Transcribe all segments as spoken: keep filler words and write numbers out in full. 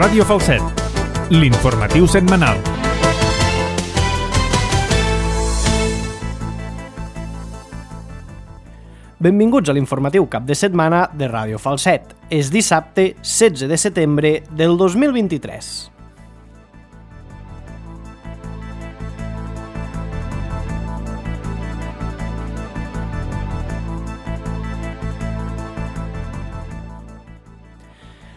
Ràdio Falset, l'informatiu setmanal. Benvinguts a l'informatiu cap de setmana de Ràdio Falset. És dissabte setze de setembre del dos mil vint-i-tres.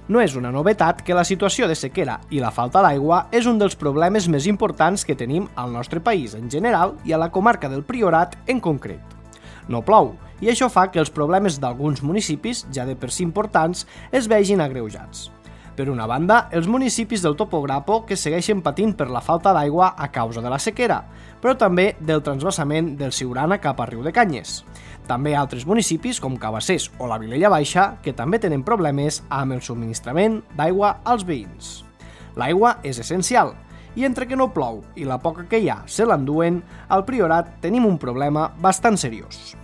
No és una novetat que la situació de sequera i la falta d'aigua és un dels problemes més importants que tenim al nostre país en general i a la comarca del Priorat en concret. No plou, i això fa que els problemes d'alguns municipis, ja de per si importants, es vegin agreujats. Per una banda, els municipis del Topograpo que segueixen patint per la falta d'aigua a causa de la sequera, però també del transvasament del Siurana cap a Riu de Canyes. També altres municipis, com Cabassers o la Vilella Baixa, que també tenen problemes amb el subministrament d'aigua als veïns. L'aigua és essencial, i entre que no plou i la poca que hi ha se l'enduen, al Priorat tenim un problema bastant seriós.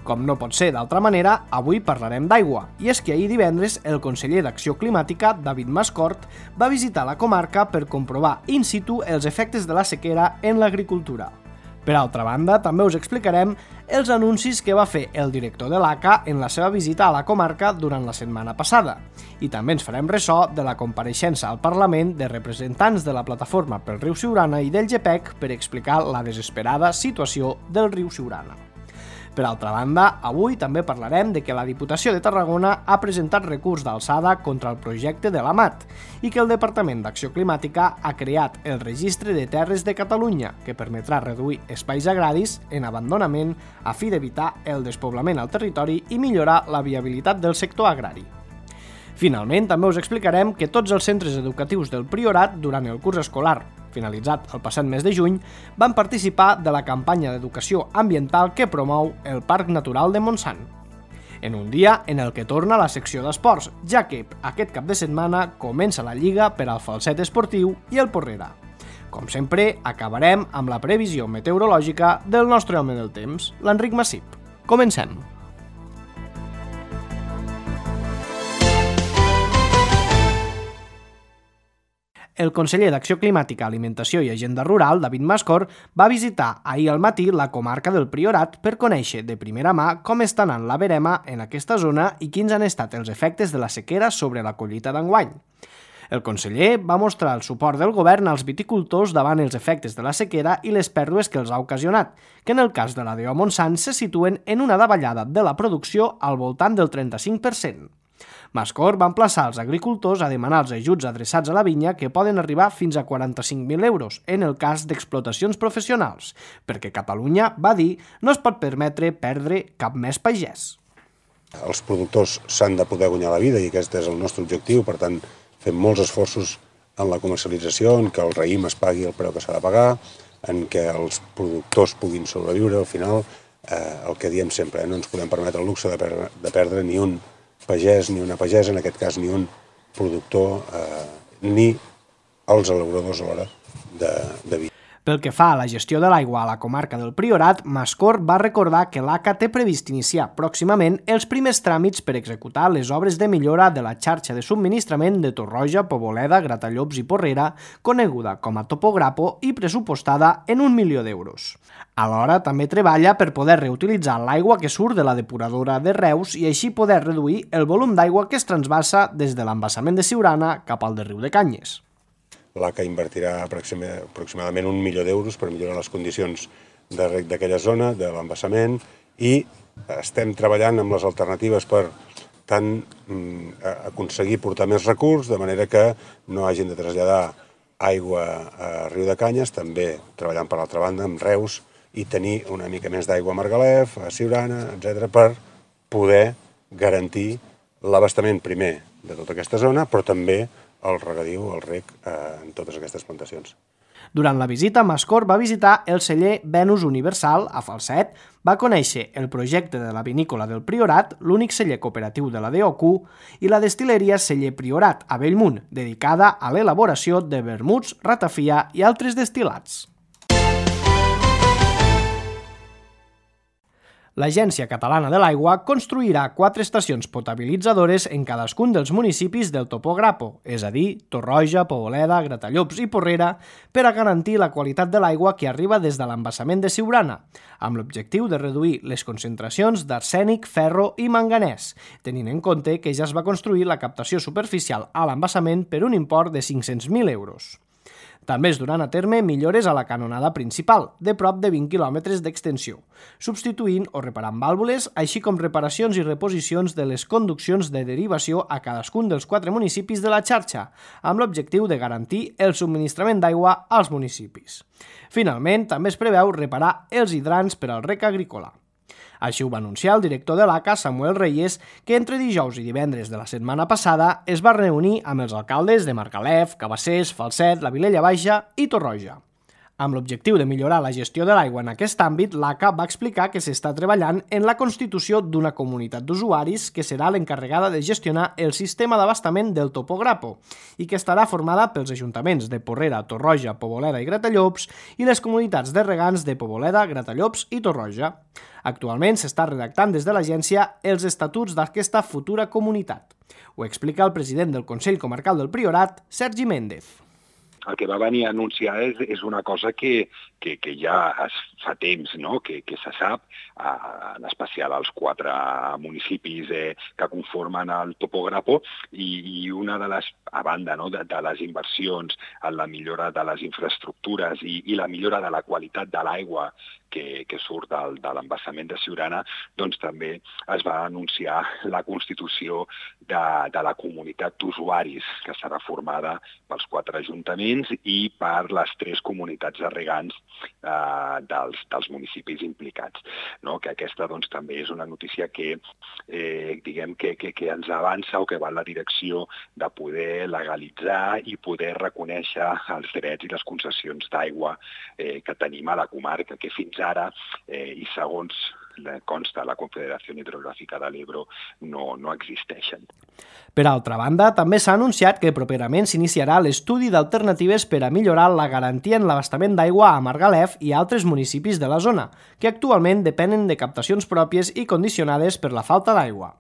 Com no pot ser d'altra manera, avui parlarem d'aigua, i és que ahir divendres el conseller d'Acció Climàtica, David Mascort, va visitar la comarca per comprovar in situ els efectes de la sequera en l'agricultura. Per altra banda, també us explicarem els anuncis que va fer el director de l'A C A en la seva visita a la comarca durant la setmana passada. I també ens farem ressò de la compareixença al Parlament de representants de la Plataforma pel Riu Siurana i del G P E C per explicar la desesperada situació del riu Siurana. Per altra banda, avui també parlarem de que la Diputació de Tarragona ha presentat recurs d'alçada contra el projecte de l'A M A T i que el Departament d'Acció Climàtica ha creat el Registre de Terres de Catalunya, que permetrà reduir espais agraris en abandonament a fi d'evitar el despoblament al territori i millorar la viabilitat del sector agrari. Finalment, també us explicarem que tots els centres educatius del Priorat, durant el curs escolar, finalitzat el passat mes de juny, van participar de la campanya d'educació ambiental que promou el Parc Natural de Montsant. En un dia en el que torna la secció d'esports, ja que aquest cap de setmana comença la Lliga per al Falset Esportiu i el Porrera. Com sempre, acabarem amb la previsió meteorològica del nostre home del temps, l'Enric Massip. Comencem! El conseller d'Acció Climàtica, Alimentació i Agenda Rural, David Mascort, va visitar ahir al matí la comarca del Priorat per conèixer de primera mà com està anant la verema en aquesta zona i quins han estat els efectes de la sequera sobre la collita d'enguany. El conseller va mostrar el suport del govern als viticultors davant els efectes de la sequera i les pèrdues que els ha ocasionat, que en el cas de la D O Montsant se situen en una davallada de la producció al voltant del trenta-cinc per cent. Mascort va emplaçar els agricultors a demanar els ajuts adreçats a la vinya que poden arribar fins a quaranta-cinc mil euros en el cas d'explotacions professionals, perquè Catalunya, va dir, no es pot permetre perdre cap més pagès. Els productors s'han de poder guanyar la vida i aquest és el nostre objectiu, per tant fem molts esforços en la comercialització, en que el raïm es pagui el preu que s'ha de pagar, en què els productors puguin sobreviure. Al final, eh, el que diem sempre, eh, no ens podem permetre el luxe de perdre, de perdre ni un pagès ni una pagesa, en aquest cas ni un productor, eh, ni els elaboradors alhora de, de vi. Pel que fa a la gestió de l'aigua a la comarca del Priorat, Mascort va recordar que l'A C A té previst iniciar pròximament els primers tràmits per executar les obres de millora de la xarxa de subministrament de Torroja, Poboleda, Gratallops i Porrera, coneguda com a Topograpo i pressupostada en un milió d'euros. Alhora, també treballa per poder reutilitzar l'aigua que surt de la depuradora de Reus i així poder reduir el volum d'aigua que es transvasa des de l'embassament de Siurana cap al de Riu de Canyes. L'A C A invertirà aproximadament un milió d'euros per millorar les condicions de reg d'aquella zona, de l'embassament, i estem treballant amb les alternatives per tant aconseguir portar més recurs, de manera que no hagin de traslladar aigua a Riu de Canyes, també treballant per l'altra banda amb Reus, i tenir una mica més d'aigua a Margalef, a Siurana, etcètera, per poder garantir l'abastament primer de tota aquesta zona, però també el regadiu, el reg, eh, en totes aquestes plantacions. Durant la visita, Mascort va visitar el celler Venus Universal a Falset, va conèixer el projecte de la vinícola del Priorat, l'únic celler cooperatiu de la D O Q, i la destil·leria Celler Priorat a Bellmunt, dedicada a l'elaboració de vermuts, ratafia i altres destil·lats. L'Agència Catalana de l'Aigua construirà quatre estacions potabilitzadores en cadascun dels municipis del Topograpo, és a dir, Torroja, Poboleda, Gratallops i Porrera, per a garantir la qualitat de l'aigua que arriba des de l'embassament de Siurana, amb l'objectiu de reduir les concentracions d'arsènic, ferro i manganès, tenint en compte que ja es va construir la captació superficial a l'embassament per un import de cinc-cents mil euros. També es duran a terme millores a la canonada principal, de prop de vint quilòmetres d'extensió, substituint o reparant vàlvules, així com reparacions i reposicions de les conduccions de derivació a cadascun dels quatre municipis de la xarxa, amb l'objectiu de garantir el subministrament d'aigua als municipis. Finalment, també es preveu reparar els hidrants per al rec agrícola. Així ho va anunciar el director de l'A C A, Samuel Reyes, que entre dijous i divendres de la setmana passada es va reunir amb els alcaldes de Margalef, Cabassers, Falset, la Vilella Baixa i Torroja. Amb l'objectiu de millorar la gestió de l'aigua en aquest àmbit, l'A C A va explicar que s'està treballant en la constitució d'una comunitat d'usuaris que serà l'encarregada de gestionar el sistema d'abastament del Topograpo i que estarà formada pels ajuntaments de Porrera, Torroja, Poboleda i Gratallops i les comunitats de regants de Poboleda, Gratallops i Torroja. Actualment s'està redactant des de l'agència els estatuts d'aquesta futura comunitat. Ho explica el president del Consell Comarcal del Priorat, Sergi Méndez. El que va venir a anunciar és, és una cosa que, que, que ja es fa temps, no? que, que se sap, eh, en especial als quatre municipis eh, que conformen el Topograpo, i, i una de les, a banda no? de, de les inversions en la millora de les infraestructures i, i la millora de la qualitat de l'aigua que, que surt del, de l'embassament de Siurana, doncs també es va anunciar la constitució de, de la comunitat d'usuaris, que serà formada pels quatre ajuntaments i per les tres comunitats de regants eh, dels, dels municipis implicats. No? Que aquesta doncs, també és una notícia que, eh, diguem que, que, que ens avança o que va en la direcció de poder legalitzar i poder reconèixer els drets i les concessions d'aigua eh, que tenim a la comarca, que fins ara, eh, i segons consta la Confederació Hidrogràfica de l'Ebro, no, no existeixen. Per altra banda, també s'ha anunciat que properament s'iniciarà l'estudi d'alternatives per a millorar la garantia en l'abastament d'aigua a Margalef i altres municipis de la zona, que actualment depenen de captacions pròpies i condicionades per la falta d'aigua.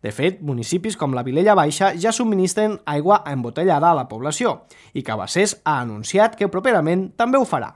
De fet, municipis com la Vilella Baixa ja subministren aigua embotellada a la població i Cabassers ha anunciat que properament també ho farà.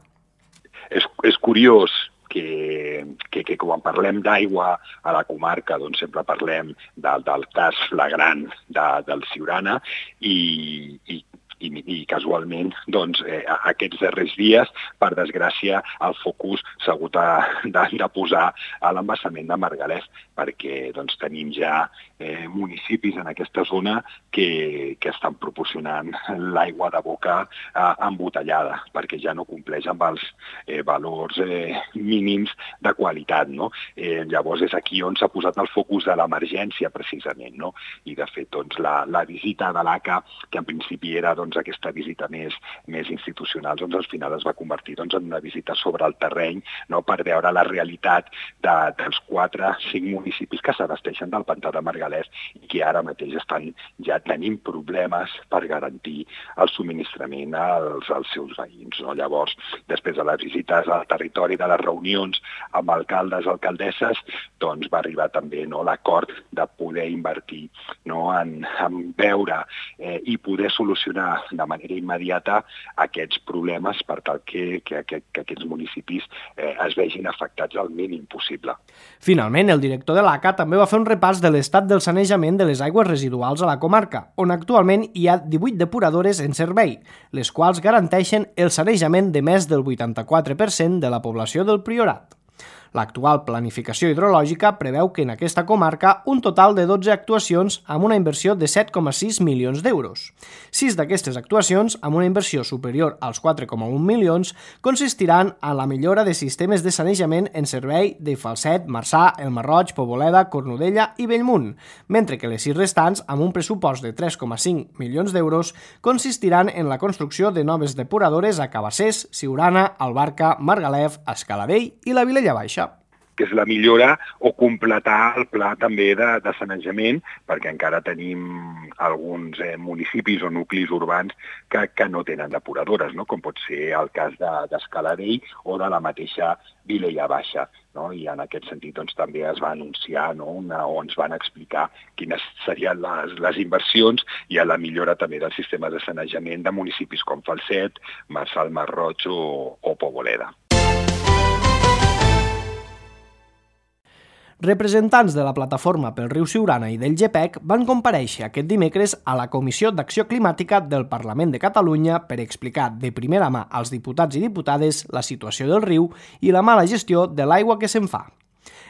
És, és curiós que, que, que quan parlem d'aigua a la comarca doncs sempre parlem del, del cas flagrant de, del Siurana i, i I, i casualment doncs, eh, aquests darrers dies, per desgràcia, el focus s'ha hagut de, de, de posar a l'embassament de Margalef, perquè doncs, tenim ja eh, municipis en aquesta zona que, que estan proporcionant l'aigua de boca eh, embotellada, perquè ja no compleix amb els eh, valors eh, mínims de qualitat. No? Eh, llavors és aquí on s'ha posat el focus de l'emergència, precisament. No? I de fet doncs, la, la visita de l'A C A, que en principi era doncs, aquesta visita més, més institucional, doncs al final es va convertir doncs, en una visita sobre el terreny, no? Per veure la realitat de, dels quatre, cinc municipis que s'abasteixen del pantà de Margalef i que ara mateix estan ja tenint problemes per garantir el subministrament als, als seus veïns. No? Llavors, després de les visites al territori, de les reunions amb alcaldes, alcaldesses, doncs va arribar també no, l'acord de poder invertir no, en, en veure eh, i poder solucionar de manera immediata aquests problemes per tal que, que, que, que aquests municipis eh, es vegin afectats al mínim possible. Finalment, el director de l'A C A també va fer un repàs de l'estat del sanejament de les aigües residuals a la comarca, on actualment hi ha divuit depuradores en servei, les quals garanteixen el sanejament de més del vuitanta-quatre per cent de la població del Priorat. L'actual planificació hidrològica preveu que en aquesta comarca un total de dotze actuacions amb una inversió de set coma sis milions d'euros. Sis d'aquestes actuacions, amb una inversió superior als quatre coma un milions, consistiran en la millora de sistemes de sanejament en servei de Falset, Marçà, El Marroig, Poboleda, Cornudella i Bellmunt, mentre que les sis restants, amb un pressupost de tres coma cinc milions d'euros, consistiran en la construcció de noves depuradores a Cabassers, Siurana, Albarca, Margalef, Escaladell i la Vilella Baixa. que és la millora o completar el pla també de, de sanejament, perquè encara tenim alguns eh, municipis o nuclis urbans que, que no tenen depuradores, no? Com pot ser el cas d'Escaladell de, o de la mateixa Vilella Baixa. No? I en aquest sentit doncs, també es va anunciar, no? Una, o ens van explicar quines serien les, les inversions i a la millora també del sistema de sanejament de municipis com Falset, Marçal, Masroig o, o Poboleda. Representants de la Plataforma pel Riu Siurana i del G P E C van comparèixer aquest dimecres a la Comissió d'Acció Climàtica del Parlament de Catalunya per explicar de primera mà als diputats i diputades la situació del riu i la mala gestió de l'aigua que se'n fa.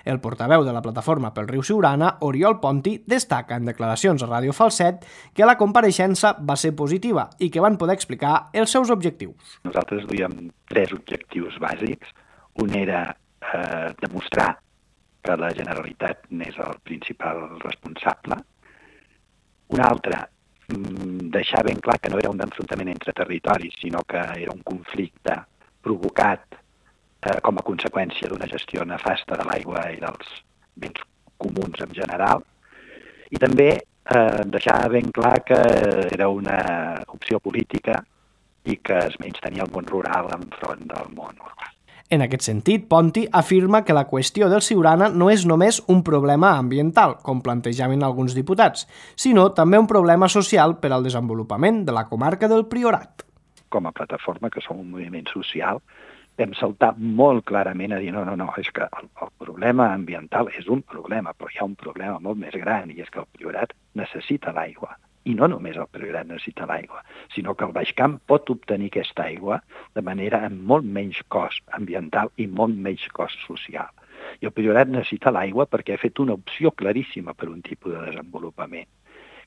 El portaveu de la Plataforma pel Riu Siurana, Oriol Ponti, destaca en declaracions a Ràdio Falset que la compareixença va ser positiva i que van poder explicar els seus objectius. Nosaltres duíem tres objectius bàsics. Un era eh, demostrar que la Generalitat n'és el principal responsable. Un altre, deixar ben clar que no era un enfrontament entre territoris, sinó que era un conflicte provocat eh, com a conseqüència d'una gestió nefasta de l'aigua i dels béns comuns en general. I també eh, deixar ben clar que era una opció política i que es menystenia el món rural enfront del món urbà. En aquest sentit, Ponti afirma que la qüestió del Siurana no és només un problema ambiental, com plantejaven alguns diputats, sinó també un problema social per al desenvolupament de la comarca del Priorat. Com a plataforma, que som un moviment social, vam saltar molt clarament a dir no, no, no, és que el, el problema ambiental és un problema, però hi ha un problema molt més gran i és que el Priorat necessita l'aigua. I no només el Priorat necessita l'aigua, sinó que el Baix Camp pot obtenir aquesta aigua de manera amb molt menys cost ambiental i molt menys cost social. I el Priorat necessita l'aigua perquè ha fet una opció claríssima per un tipus de desenvolupament,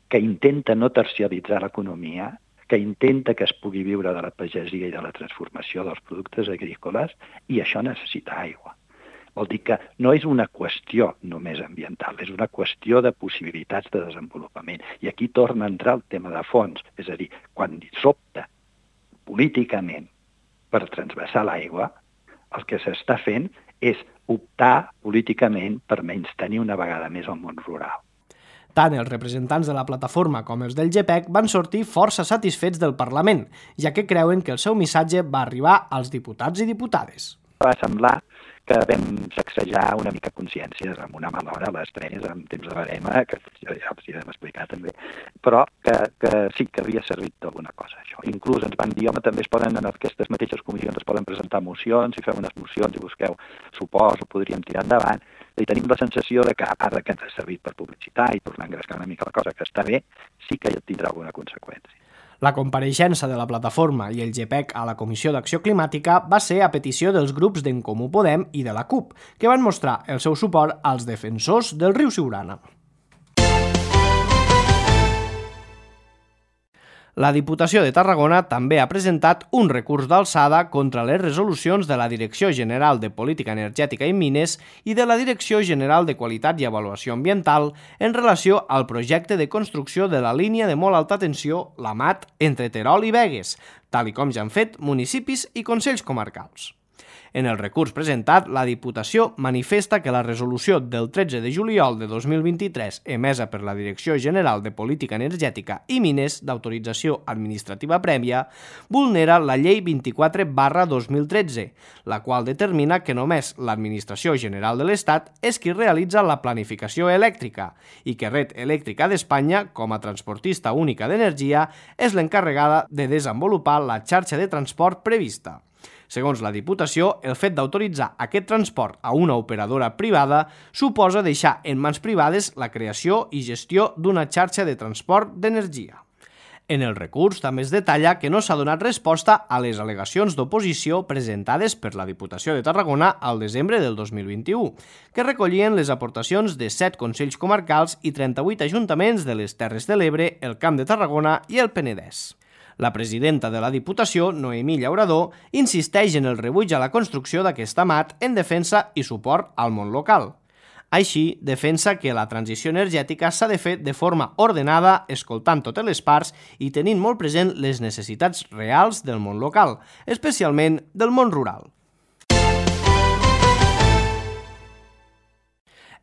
que intenta no terciaritzar l'economia, que intenta que es pugui viure de la pagesia i de la transformació dels productes agrícoles, i això necessita aigua. Vol dir que no és una qüestió només ambiental, és una qüestió de possibilitats de desenvolupament. I aquí torna a entrar el tema de fons, és a dir, quan s'opta políticament per transvasar l'aigua, el que s'està fent és optar políticament per menystenir una vegada més el món rural. Tant els representants de la plataforma com els del G P E C van sortir força satisfets del Parlament, ja que creuen que el seu missatge va arribar als diputats i diputades. Va semblar que vam sacsejar una mica consciències amb una mala hora a les tres, en temps de barema, que ja els hi vam explicar també, però que, que sí que havia servit d'alguna cosa, això. Inclús ens van dir, home, també es poden, en aquestes mateixes comissions es poden presentar mocions, i feu unes mocions i busqueu suports, ho podríem tirar endavant, i tenim la sensació de que, a part que ens ha servit per publicitar i tornar a engrescar una mica la cosa, que està bé, sí que tindrà alguna conseqüència. La compareixença de la plataforma i el G P E C a la Comissió d'Acció Climàtica va ser a petició dels grups d'En Comú Podem i de la C U P, que van mostrar el seu suport als defensors del riu Siurana. La Diputació de Tarragona també ha presentat un recurs d'alçada contra les resolucions de la Direcció General de Política Energètica i Mines i de la Direcció General de Qualitat i Avaluació Ambiental en relació al projecte de construcció de la línia de molt alta tensió, la M A T, entre Terol i Begues, tal i com ja han fet municipis i consells comarcals. En el recurs presentat, la Diputació manifesta que la resolució del tretze de juliol de dos mil vint-i-tres emesa per la Direcció General de Política Energètica i Mines d'autorització administrativa prèvia vulnera la Llei vint-i-quatre barra dos mil tretze, la qual determina que només l'Administració General de l'Estat és qui realitza la planificació elèctrica i que Red Elèctrica d'Espanya, com a transportista única d'energia, és l'encarregada de desenvolupar la xarxa de transport prevista. Segons la Diputació, el fet d'autoritzar aquest transport a una operadora privada suposa deixar en mans privades la creació i gestió d'una xarxa de transport d'energia. En el recurs també es detalla que no s'ha donat resposta a les al·legacions d'oposició presentades per la Diputació de Tarragona al desembre del dos mil vint-i-u, que recollien les aportacions de set consells comarcals i trenta-vuit ajuntaments de les Terres de l'Ebre, el Camp de Tarragona i el Penedès. La presidenta de la Diputació, Noemí Llaurador, insisteix en el rebuig a la construcció d'aquesta M A T en defensa i suport al món local. Així, defensa que la transició energètica s'ha de fer de forma ordenada, escoltant totes les parts i tenint molt present les necessitats reals del món local, especialment del món rural.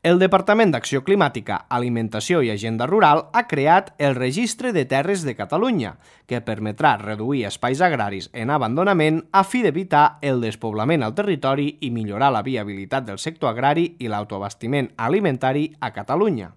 El Departament d'Acció Climàtica, Alimentació i Agenda Rural ha creat el Registre de Terres de Catalunya, que permetrà reduir espais agraris en abandonament a fi d'evitar el despoblament al territori i millorar la viabilitat del sector agrari i l'autoabastiment alimentari a Catalunya.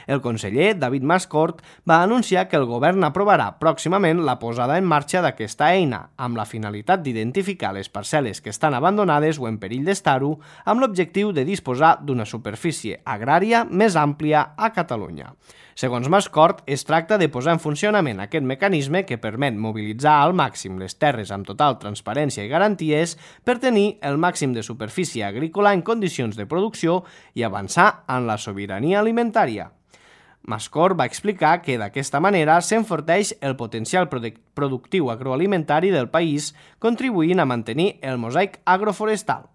El conseller David Mascort va anunciar que el govern aprovarà pròximament la posada en marxa d'aquesta eina, amb la finalitat d'identificar les parcel·les que estan abandonades o en perill d'estar-ho, amb l'objectiu de disposar d'una superfície agrària més àmplia a Catalunya. Segons Mascort, es tracta de posar en funcionament aquest mecanisme que permet mobilitzar al màxim les terres amb total transparència i garanties per tenir el màxim de superfície agrícola en condicions de producció i avançar en la sobirania alimentària. Mascort va explicar que d'aquesta manera s'enforteix el potencial productiu agroalimentari del país, contribuint a mantenir el mosaic agroforestal.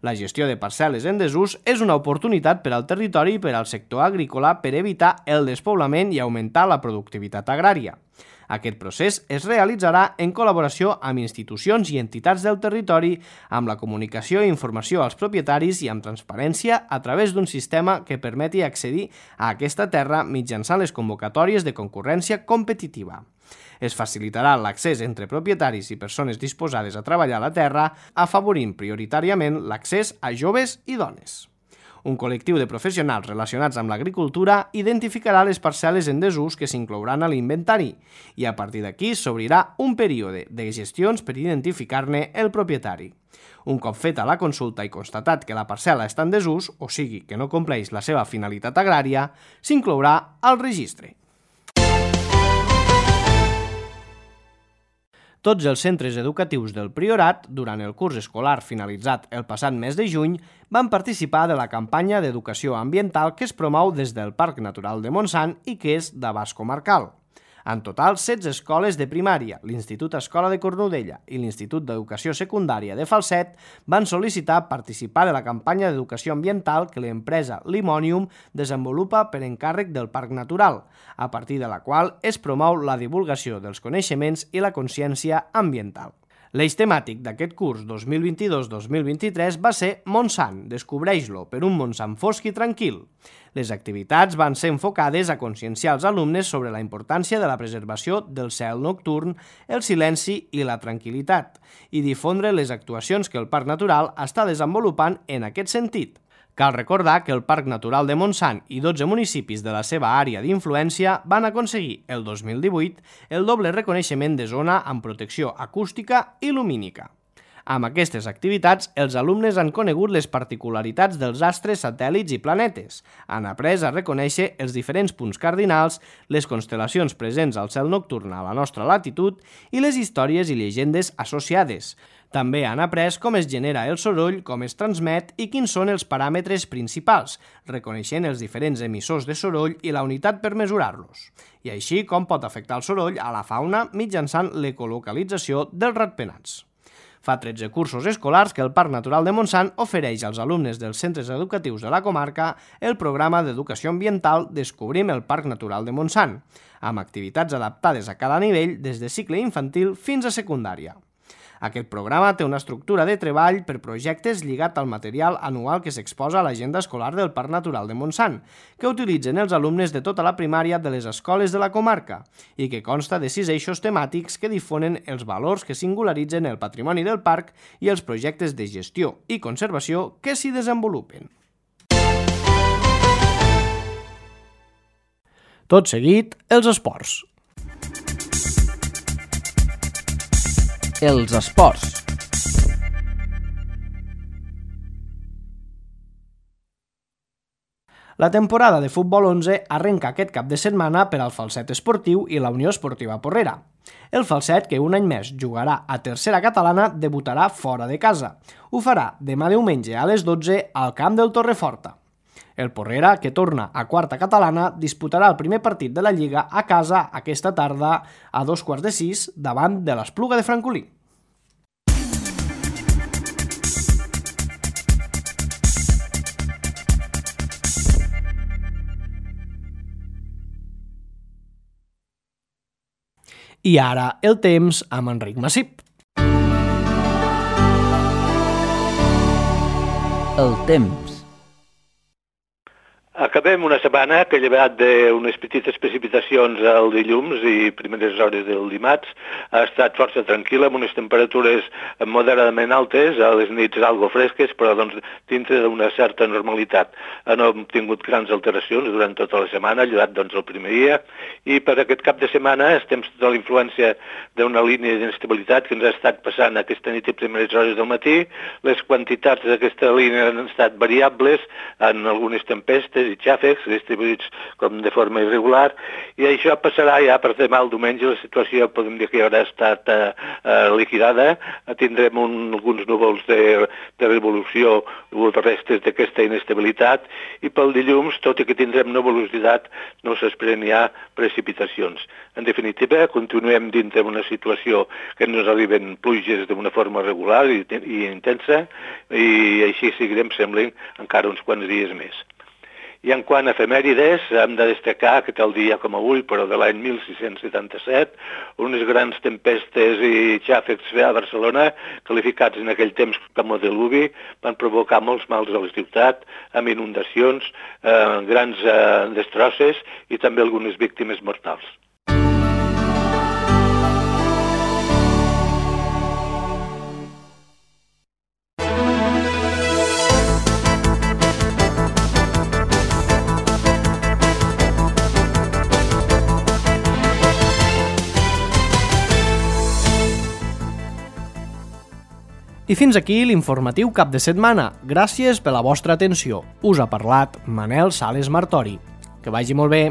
La gestió de parcel·les en desús és una oportunitat per al territori i per al sector agrícola per evitar el despoblament i augmentar la productivitat agrària. Aquest procés es realitzarà en col·laboració amb institucions i entitats del territori, amb la comunicació i informació als propietaris i amb transparència a través d'un sistema que permeti accedir a aquesta terra mitjançant les convocatòries de concurrència competitiva. Es facilitarà l'accés entre propietaris i persones disposades a treballar a la terra, afavorint prioritàriament l'accés a joves i dones. Un col·lectiu de professionals relacionats amb l'agricultura identificarà les parcel·les en desús que s'inclouran a l'inventari i a partir d'aquí s'obrirà un període de gestions per identificar-ne el propietari. Un cop feta la consulta i constatat que la parcel·la està en desús, o sigui que no compleix la seva finalitat agrària, s'inclourà al registre. Tots els centres educatius del Priorat, durant el curs escolar finalitzat el passat mes de juny, van participar de la campanya d'educació ambiental que es promou des del Parc Natural de Montsant i que és d'abast comarcal. En total, setze escoles de primària, l'Institut Escola de Cornudella i l'Institut d'Educació Secundària de Falset van sol·licitar participar de la campanya d'educació ambiental que l'empresa Limonium desenvolupa per encàrrec del Parc Natural, a partir de la qual es promou la divulgació dels coneixements i la consciència ambiental. L'eix temàtic d'aquest curs dos mil vint-i-dos dos mil vint-i-tres va ser Montsant, descobreix-lo, per un Montsant fosc i tranquil. Les activitats van ser enfocades a conscienciar els alumnes sobre la importància de la preservació del cel nocturn, el silenci i la tranquil·litat, i difondre les actuacions que el Parc Natural està desenvolupant en aquest sentit. Cal recordar que el Parc Natural de Montsant i dotze municipis de la seva àrea d'influència van aconseguir el dos mil divuit el doble reconeixement de zona amb protecció acústica i lumínica. Amb aquestes activitats, els alumnes han conegut les particularitats dels astres, satèl·lits i planetes, han après a reconèixer els diferents punts cardinals, les constel·lacions presents al cel nocturn a la nostra latitud i les històries i llegendes associades. També han après com es genera el soroll, com es transmet i quins són els paràmetres principals, reconeixent els diferents emissors de soroll i la unitat per mesurar-los, i així com pot afectar el soroll a la fauna mitjançant l'ecolocalització dels ratpenats. Fa tretze cursos escolars que el Parc Natural de Montsant ofereix als alumnes dels centres educatius de la comarca el programa d'educació ambiental Descobrim el Parc Natural de Montsant, amb activitats adaptades a cada nivell des de cicle infantil fins a secundària. Aquest programa té una estructura de treball per projectes lligat al material anual que s'exposa a l'agenda escolar del Parc Natural de Montsant, que utilitzen els alumnes de tota la primària de les escoles de la comarca i que consta de sis eixos temàtics que difonen els valors que singularitzen el patrimoni del parc i els projectes de gestió i conservació que s'hi desenvolupen. Tot seguit, els esports. Els esports. La temporada de futbol onze arrenca aquest cap de setmana per al Falset Esportiu i la Unió Esportiva Porrera. El Falset, que un any més jugarà a tercera catalana, debutarà fora de casa. Ho farà demà diumenge a les dotze al camp del Torreforta. El Porrera, que torna a quarta catalana, disputarà el primer partit de la Lliga a casa aquesta tarda a dos quarts de sis davant de l'Espluga de Francolí. I ara el temps amb Enric Massip. El temps. Acabem una setmana que ha llevat d'unes petites precipitacions al dilluns i primeres hores del dimarts. Ha estat força tranquil·la, amb unes temperatures moderadament altes, a les nits algo fresques, però doncs, dintre d'una certa normalitat. No hem tingut grans alteracions durant tota la setmana, llevat doncs, el primer dia, i per aquest cap de setmana estem sota la influència d'una línia d'inestabilitat que ens ha estat passant aquesta nit i primeres hores del matí. Les quantitats d'aquesta línia han estat variables en algunes tempestes i xàfecs distribuïts com de forma irregular, i això passarà ja per demà al diumenge. La situació podem dir que ja haurà estat eh, eh, liquidada. Tindrem un, alguns núvols de, de revolució o restes d'aquesta inestabilitat, i pel dilluns, tot i que tindrem nuvolositat, no s'esperen ja precipitacions. En definitiva, continuem dintre d'una situació que ens arriben pluges d'una forma regular i, i intensa, i així seguirem, semblen, encara uns quants dies més. I en quant a efemèrides, hem de destacar que tal dia com avui, però de l'any mil sis-cents setanta-set, unes grans tempestes i xàfecs a Barcelona, qualificats en aquell temps com a diluvi, van provocar molts mals a la ciutat, amb inundacions, eh, grans eh, destrosses i també algunes víctimes mortals. I fins aquí l'informatiu cap de setmana. Gràcies per la vostra atenció. Us ha parlat Manel Sales Martori. Que vagi molt bé.